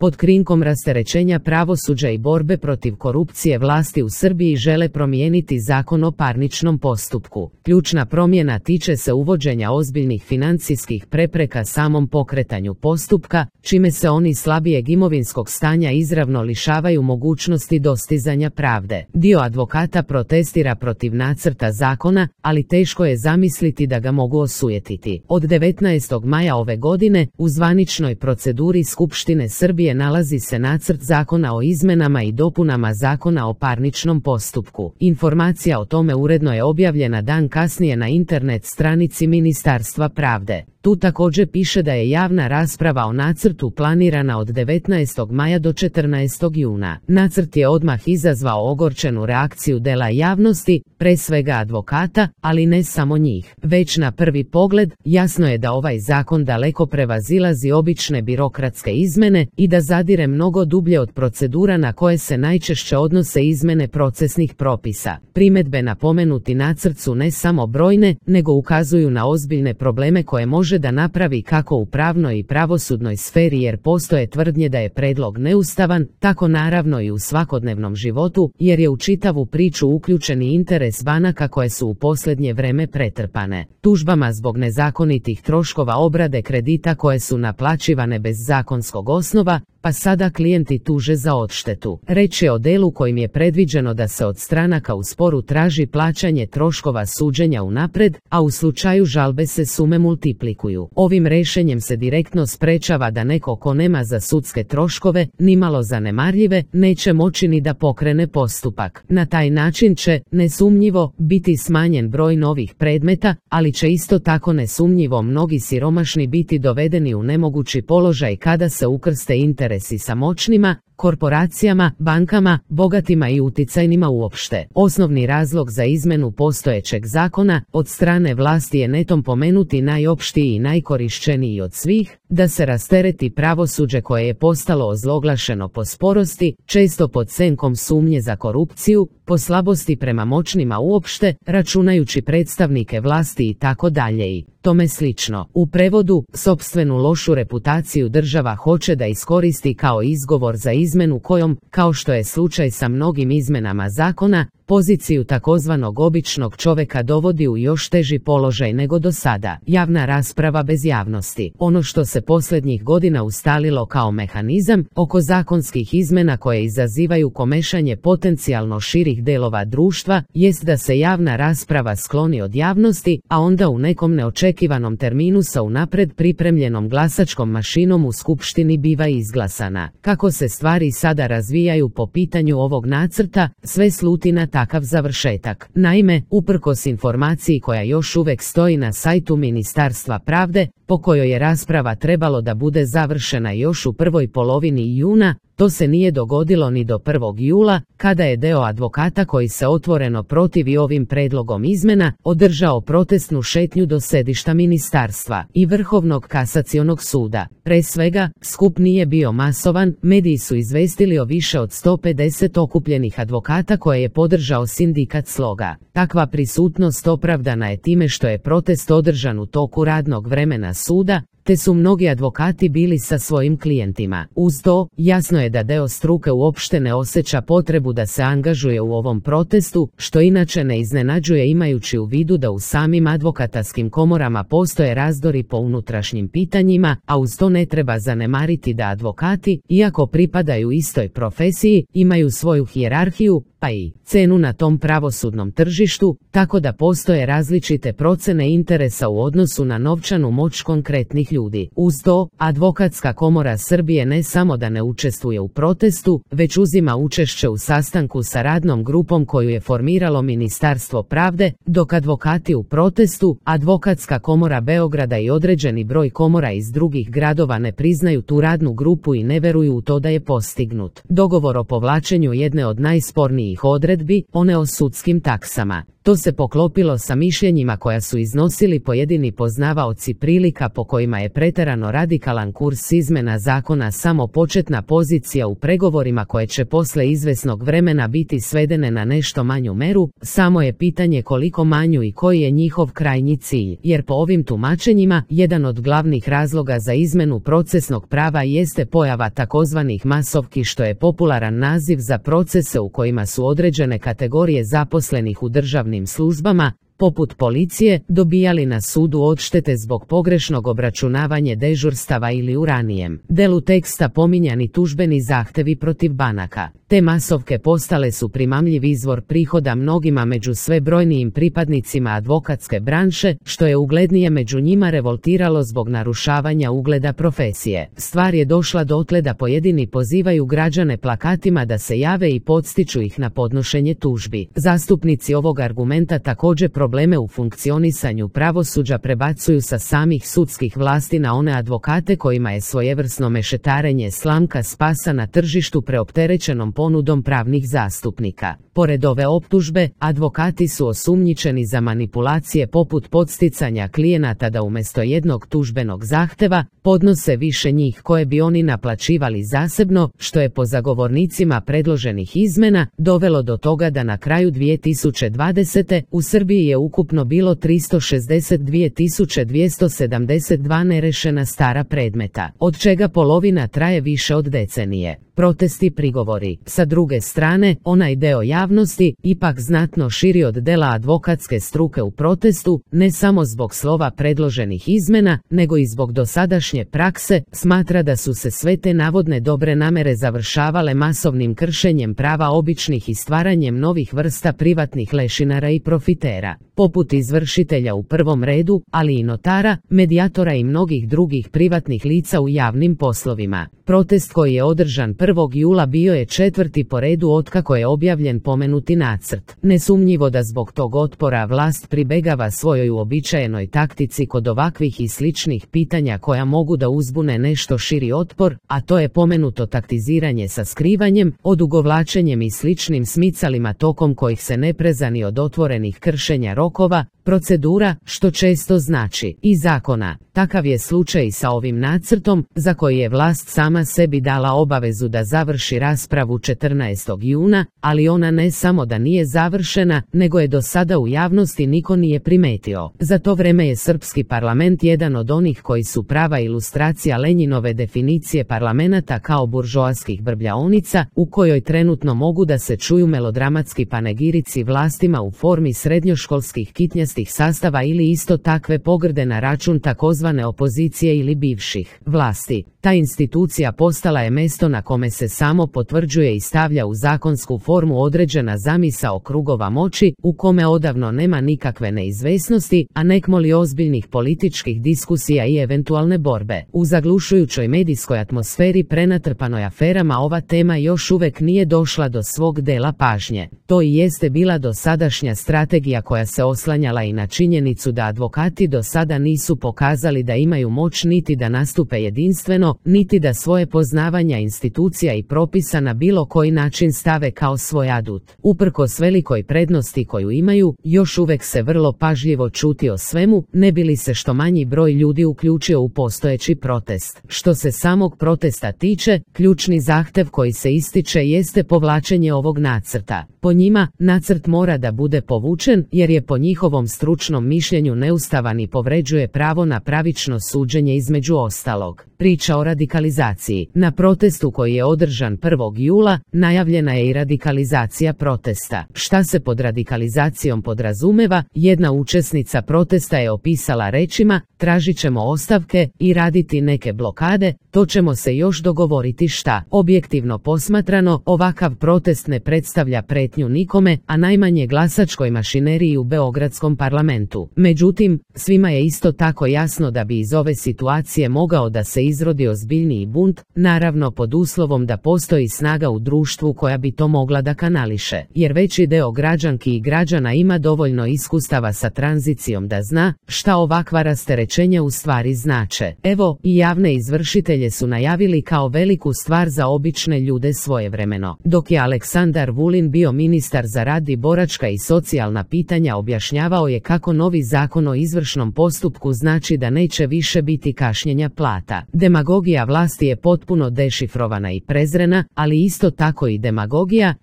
Pod krinkom rasterećenja pravosuđa i borbe protiv korupcije vlasti u Srbiji žele promijeniti Zakon o parničnom postupku. Ključna promjena tiče se uvođenja ozbiljnih financijskih prepreka samom pokretanju postupka, čime se oni slabijeg imovinskog stanja izravno lišavaju mogućnosti dostizanja pravde. Dio advokata protestira protiv nacrta zakona, ali teško je zamisliti da ga mogu osujetiti. Od 19. maja ove godine u zvaničnoj proceduri Skupštine Srbije nalazi se nacrt zakona o izmenama i dopunama Zakona o parničnom postupku. Informacija o tome uredno je objavljena dan kasnije na internet stranici Ministarstva pravde. Tu također piše da je javna rasprava o nacrtu planirana od 19. maja do 14. juna. Nacrt je odmah izazvao ogorčenu reakciju dela javnosti, pre svega advokata, ali ne samo njih. Već na prvi pogled, jasno je da ovaj zakon daleko prevazilazi obične birokratske izmene i da zadire mnogo dublje od procedura na koje se najčešće odnose izmene procesnih propisa. Primjedbe na pomenuti nacrt su ne samo brojne, nego ukazuju na ozbiljne probleme koje može da napravi kako u pravnoj i pravosudnoj sferi, jer postoje tvrdnje da je predlog neustavan, tako naravno i u svakodnevnom životu, jer je u čitavu priču uključeni interes banaka koje su u posljednje vreme pretrpane tužbama zbog nezakonitih troškova obrade kredita koje su naplaćivane bez zakonskog osnova, pa sada klijenti tuže za odštetu. Reč je o delu kojim je predviđeno da se od stranaka u sporu traži plaćanje troškova suđenja unaprijed, a u slučaju žalbe se sume multiplikuju. Ovim rješenjem se direktno sprečava da neko ko nema za sudske troškove, nimalo zanemarljive, neće moći ni da pokrene postupak. Na taj način će, nesumnjivo, biti smanjen broj novih predmeta, ali će isto tako nesumnjivo mnogi siromašni biti dovedeni u nemogući položaj kada se ukrste interesi sa moćnima, korporacijama, bankama, bogatima i uticajnima uopšte. Osnovni razlog za izmenu postojećeg zakona od strane vlasti je netom pomenuti najopštiji i najkorišćeniji od svih, da se rastereti pravosuđe koje je postalo ozloglašeno po sporosti, često pod senkom sumnje za korupciju, po slabosti prema moćnima uopšte, računajući predstavnike vlasti i tako dalje i tome slično. U prevodu, sopstvenu lošu reputaciju država hoće da iskoristi kao izgovor za izmenu kojom, kao što je slučaj sa mnogim izmenama zakona, poziciju takozvanog običnog čovjeka dovodi u još teži položaj nego do sada. Javna rasprava bez javnosti. Ono što se posljednjih godina ustalilo kao mehanizam oko zakonskih izmena koje izazivaju komešanje potencijalno širih delova društva, jest da se javna rasprava skloni od javnosti, a onda u nekom neočekivanom terminu sa unapred pripremljenom glasačkom mašinom u skupštini biva izglasana. Kako se stvari sada razvijaju po pitanju ovog nacrta, sve sluti na takav završetak. Naime, uprkos informaciji koja još uvijek stoji na sajtu Ministarstva pravde, po kojoj je rasprava trebalo da bude završena još u prvoj polovini juna, to se nije dogodilo ni do 1. jula, kada je deo advokata koji se otvoreno protivi ovim predlogom izmena, održao protestnu šetnju do sedišta ministarstva i Vrhovnog kasacionog suda. Pre svega, skup nije bio masovan, mediji su izvestili o više od 150 okupljenih advokata koje je podržao sindikat Sloga. Takva prisutnost opravdana je time što je protest održan u toku radnog vremena suda, te su mnogi advokati bili sa svojim klijentima. Uz to, jasno je da deo struke uopšte ne osjeća potrebu da se angažuje u ovom protestu, što inače ne iznenađuje imajući u vidu da u samim advokatarskim komorama postoje razdori po unutrašnjim pitanjima, a uz to ne treba zanemariti da advokati, iako pripadaju istoj profesiji, imaju svoju hijerarhiju, pa i cenu na tom pravosudnom tržištu, tako da postoje različite procene interesa u odnosu na novčanu moć konkretnih ljudi. Uz to, Advokatska komora Srbije ne samo da ne učestvuje u protestu, već uzima učešće u sastanku sa radnom grupom koju je formiralo Ministarstvo pravde, dok advokati u protestu, Advokatska komora Beograda i određeni broj komora iz drugih gradova ne priznaju tu radnu grupu i ne veruju u to da je postignut dogovor o povlačenju jedne od najspornijih odredbi, one o sudskim taksama. To se poklopilo sa mišljenjima koja su iznosili pojedini poznavaoci prilika po kojima je pretjerano radikalan kurs izmjena zakona samo početna pozicija u pregovorima koje će posle izvesnog vremena biti svedene na nešto manju meru, samo je pitanje koliko manju i koji je njihov krajnji cilj, jer po ovim tumačenjima jedan od glavnih razloga za izmjenu procesnog prava jeste pojava takozvanih masovki, što je popularan naziv za procese u kojima su određene kategorije zaposlenih u državnim službama, poput policije, dobijali na sudu odštete zbog pogrešnog obračunavanja dežurstava ili u ranijem delu teksta pominjani tužbeni zahtevi protiv banaka. Te masovke postale su primamljiv izvor prihoda mnogima među sve brojnijim pripadnicima advokatske branše, što je uglednije među njima revoltiralo zbog narušavanja ugleda profesije. Stvar je došla dotle da pojedini pozivaju građane plakatima da se jave i podstiču ih na podnošenje tužbi. Zastupnici ovog argumenta također probleme u funkcionisanju pravosuđa prebacuju sa samih sudskih vlasti na one advokate kojima je svojevrsno mešetarenje slamka spasa na tržištu preopterećenom ponudom pravnih zastupnika. Pored ove optužbe, advokati su osumnjičeni za manipulacije poput podsticanja klijenata da umjesto jednog tužbenog zahteva podnose više njih koje bi oni naplaćivali zasebno, što je po zagovornicima predloženih izmjena dovelo do toga da na kraju 2020. u Srbiji je ukupno bilo 362.272 nerešena stara predmeta, od čega polovina traje više od decenije. Protesti, prigovori. Sa druge strane, onaj deo javnosti, ipak znatno širi od dela advokatske struke u protestu, ne samo zbog slova predloženih izmjena, nego i zbog dosadašnje prakse, smatra da su se sve te navodne dobre namere završavale masovnim kršenjem prava običnih i stvaranjem novih vrsta privatnih lešinara i profitera, poput izvršitelja u prvom redu, ali i notara, medijatora i mnogih drugih privatnih lica u javnim poslovima. Protest koji je održan 1. jula bio je 4. po redu otkako je objavljen pomenuti nacrt. Nesumnjivo da zbog tog otpora vlast pribegava svojoj uobičajenoj taktici kod ovakvih i sličnih pitanja koja mogu da uzbune nešto širi otpor, a to je pomenuto taktiziranje sa skrivanjem, odugovlačenjem i sličnim smicalima tokom kojih se ne prezani od otvorenih kršenja rokova, procedura, što često znači i zakona. Takav je slučaj i sa ovim nacrtom, za koji je vlast sama sebi dala obavezu da završi raspravu 14. juna, ali ona ne samo da nije završena, nego je do sada u javnosti niko nije primetio. Za to vreme je srpski parlament jedan od onih koji su prava ilustracija Lenjinove definicije parlamenta kao buržoaskih brbljaonica, u kojoj trenutno mogu da se čuju melodramatski panegirici vlastima u formi srednjoškolskih kitnjastih sastava ili isto takve pogrde na račun takozvane opozicije ili bivših vlasti. Ta institucija postala je mesto na kome se samo potvrđuje i stavlja u zakonsku formu određena zamisao krugova moći, u kome odavno nema nikakve neizvesnosti, a nekmoli ozbiljnih političkih diskusija i eventualne borbe. U zaglušujućoj medijskoj atmosferi prenatrpanoj aferama ova tema još uvek nije došla do svog dela pažnje. To i jeste bila dosadašnja strategija koja se oslanjala i na činjenicu da advokati do sada nisu pokazali da imaju moć niti da nastupe jedinstveno, niti da svoje poznavanja institucija i propisa na bilo koji način stave kao svoj adut. Uprkos velikoj prednosti koju imaju, još uvek se vrlo pažljivo ćuti o svemu, ne bi li se što manji broj ljudi uključio u postojeći protest. Što se samog protesta tiče, ključni zahtev koji se ističe jeste povlačenje ovog nacrta. Po njima, nacrt mora da bude povučen, jer je po njihovom stručnom mišljenju neustavan i povređuje pravo na pravično suđenje između ostalog. Priča o radikalizaciji. Na protestu koji je održan 1. jula, najavljena je i radikalizacija protesta. Šta se pod radikalizacijom podrazumeva? Jedna učesnica protesta je opisala rečima: tražit ćemo ostavke i raditi neke blokade, to ćemo se još dogovoriti šta. Objektivno posmatrano, ovakav protest ne predstavlja pretnju nikome, a najmanje glasačkoj mašineriji u beogradskom parlamentu. Međutim, svima je isto tako jasno da bi iz ove situacije mogao da se izrodi ozbiljniji bunt, naravno pod uslovom da postoji snaga u društvu koja bi to mogla da kanališe, jer veći deo građanki i građana ima dovoljno iskustava sa tranzicijom da zna šta ovakva rasterećenja u stvari znače. Evo, i javne izvršitelje su najavili kao veliku stvar za obične ljude svojevremeno. Dok je Aleksandar Vulin bio ministar za rad i boračka i socijalna pitanja, objašnjavao je kako novi zakon o izvršnom postupku znači da neće više biti kašnjenja plata. Demagogija vlasti je potpuno dešifrovana i prezrena, ali isto tako i demagogija,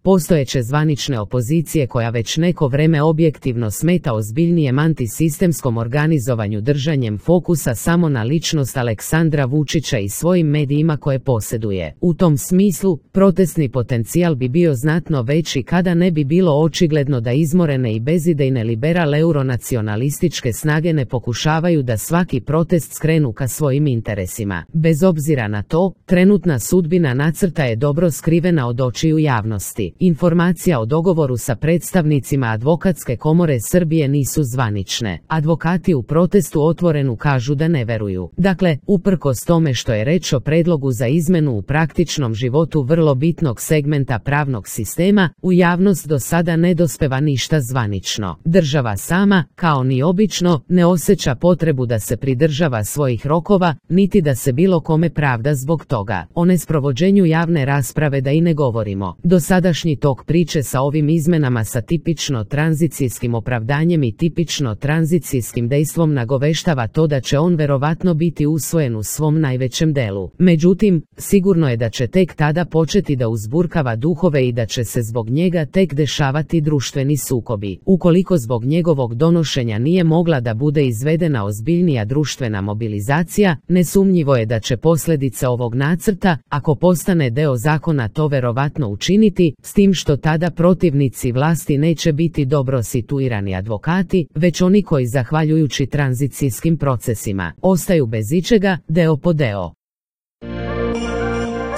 postojeće zvanične opozicije koja već neko vreme objektivno smeta ozbiljnijem antisistemskom organizovanju držanjem fokusa samo na ličnost Aleksandra Vučića i svojim medijima koje posjeduje. U tom smislu, protestni potencijal bi bio znatno veći kada ne bi bilo očigledno da izmorene i bezidejne liberal-euronacionalističke snage ne pokušavaju da svaki protest skrenu ka svojim interesima. Bez obzira na to, trenutna sudbina nacrta je dobro skrivena od očiju javnosti. Informacija o dogovoru sa predstavnicima Advokatske komore Srbije nisu zvanične. Advokati u protestu otvoreno kažu da ne veruju. Dakle, uprkos tome što je reč o predlogu za izmenu u praktičnom životu vrlo bitnog segmenta pravnog sistema, u javnost do sada ne dospeva ništa zvanično. Država sama, kao ni obično, ne osjeća potrebu da se pridržava svojih rokova, niti da se bilo kome pravda zbog toga. O nesprovođenju javne rasprave da i ne govorimo. Dosadašnji tok priče sa ovim izmenama sa tipično tranzicijskim opravdanjem i tipično tranzicijskim dejstvom nagoveštava to da će on verovatno biti usvojen u svom najvećem delu. Međutim, sigurno je da će tek tada početi da uzburkava duhove i da će se zbog njega tek dešavati društveni sukobi. Ukoliko zbog njegovog donošenja nije mogla da bude izvedena ozbiljnija društvena mobilizacija, nesumnjivo je da će posljedice ovog nacrta, ako postane deo zakona, to verovatno učiniti, s tim što tada protivnici vlasti neće biti dobro situirani advokati, već oni koji zahvaljujući tranzicijskim procesima ostaju bez ičega, deo po deo.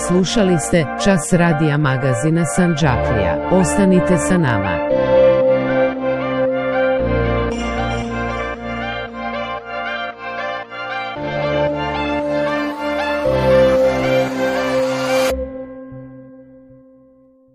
Slušali ste Čas radija magazina Sandžaklija. Ostanite sa nama.